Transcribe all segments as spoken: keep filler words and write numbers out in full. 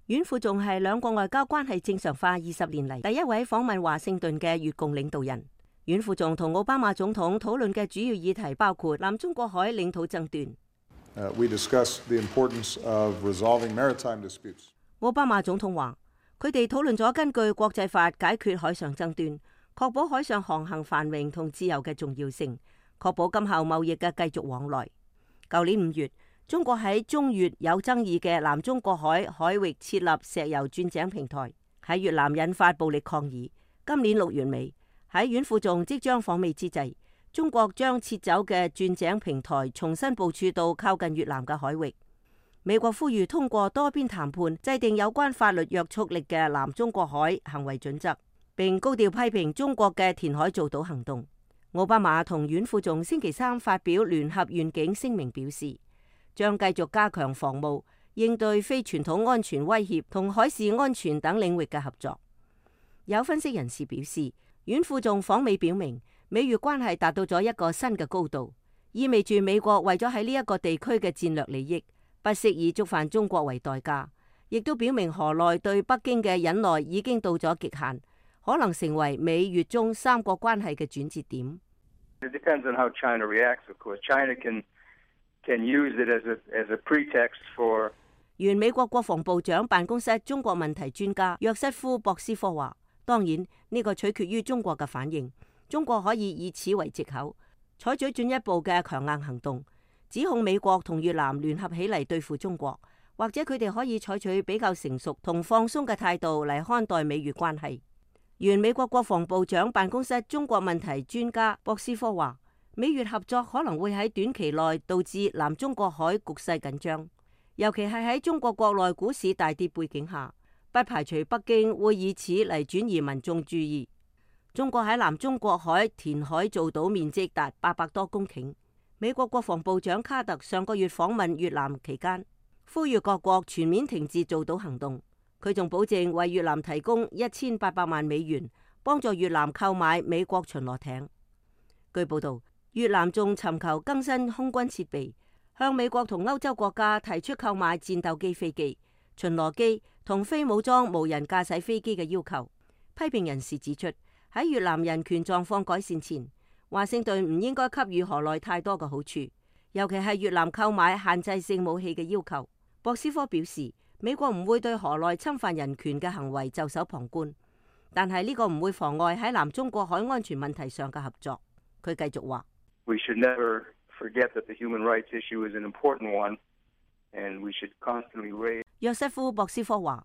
阮富仲係兩國外交關係正常化二十年嚟第一位訪問華盛頓嘅越共領導人。阮富仲同奧巴馬總統討論嘅主要議題包括南中國海領土爭端。Uh, we discussed the importance of resolving maritime disputes. 奧巴馬總統話，佢哋討論咗根據國際法解決海上爭端，確保海上航行繁榮同自由嘅重要性，確保今後貿易嘅繼續往來。舊年五月，中國喺中越有爭議嘅南中國海海域設立石油鑽井平台，喺越南引發暴力抗議。今年六月尾，喺阮富仲即將訪美之際，中國將撤走嘅鑽井平台重新部署到靠近越南嘅海域。美國呼籲通過多邊談判制定有關法律約束力嘅南中國海行為準則，並高調批評中國嘅填海造島行動。奧巴馬同阮富仲星期三發表聯合願景聲明，表示將繼續加強防務、應對非傳統安全威脅同海事安全等領域嘅合作。有分析人士表示，阮富仲訪美表明美越關係達到咗一個新嘅高度，意味住美國為咗喺呢一個地區嘅戰略利益，不惜以觸犯中國為代價，亦都表明河內對北京嘅忍耐已經到咗極限，可能成為美越中三國關係嘅轉折點。It depends on how China reacts, of course. China can can use it as a as a pretext for. 原美國國防部長辦公室中國問題專家約瑟夫·博斯科話，當然呢個取決於中國嘅反應，中國可以以此為藉口，採取進一步嘅強硬行動，指控美國同越南聯合起嚟對付中國，或者佢哋可以採取比較成熟同放鬆嘅態度嚟看待美越關係。原美國國防部長辦公室中國問題專家博斯科話，美越合作可能會喺短期內導致南中國海局勢緊張，尤其係喺中國國內股市大跌背景下，不排除北京會以此嚟轉移民眾注意。中國喺南中國海填海造島面積達八百多公頃。美國國防部長卡特上個月訪問越南期間，呼籲各國全面停止造島行動。佢仲保證為越南提供一千八百萬美元，幫助越南購買美國巡邏艇。據報道，越南仲尋求更新空軍設備，向美國同歐洲國家提出購買戰鬥機飛機、巡邏機同非武裝無人駕駛飛機嘅要求。批評人士指出，喺越南人權狀況改善前，華盛頓唔應該給予河內太多嘅好處，尤其係越南購買限制性武器嘅要求。博斯科表示，美國唔會對河內侵犯人權嘅行為袖手旁觀，但係呢個唔會妨礙喺南中國海安全問題上嘅合作。佢繼續話： We should never forget that the human rights issue is an important one, and we should constantly raise. 約瑟夫·博斯科話：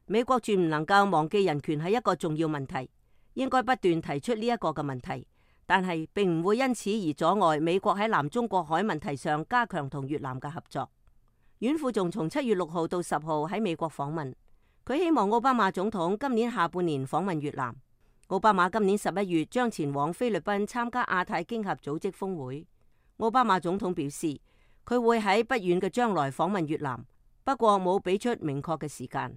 美國絕唔能夠忘記人權係一個重要問題，應該不斷提出呢一個嘅問題，但係並唔會因此而阻礙美國喺南中國海問題上加強同越南嘅合作。阮富仲從七月六號到十號喺美國訪問，佢希望奧巴馬總統今年下半年訪問越南。奧巴馬今年十一月將前往菲律賓參加亞太經合組織峰會。奧巴馬總統表示，佢會喺不遠嘅將來訪問越南，不過冇俾出明確嘅時間。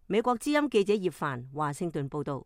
美國之音記者葉凡華盛頓報道。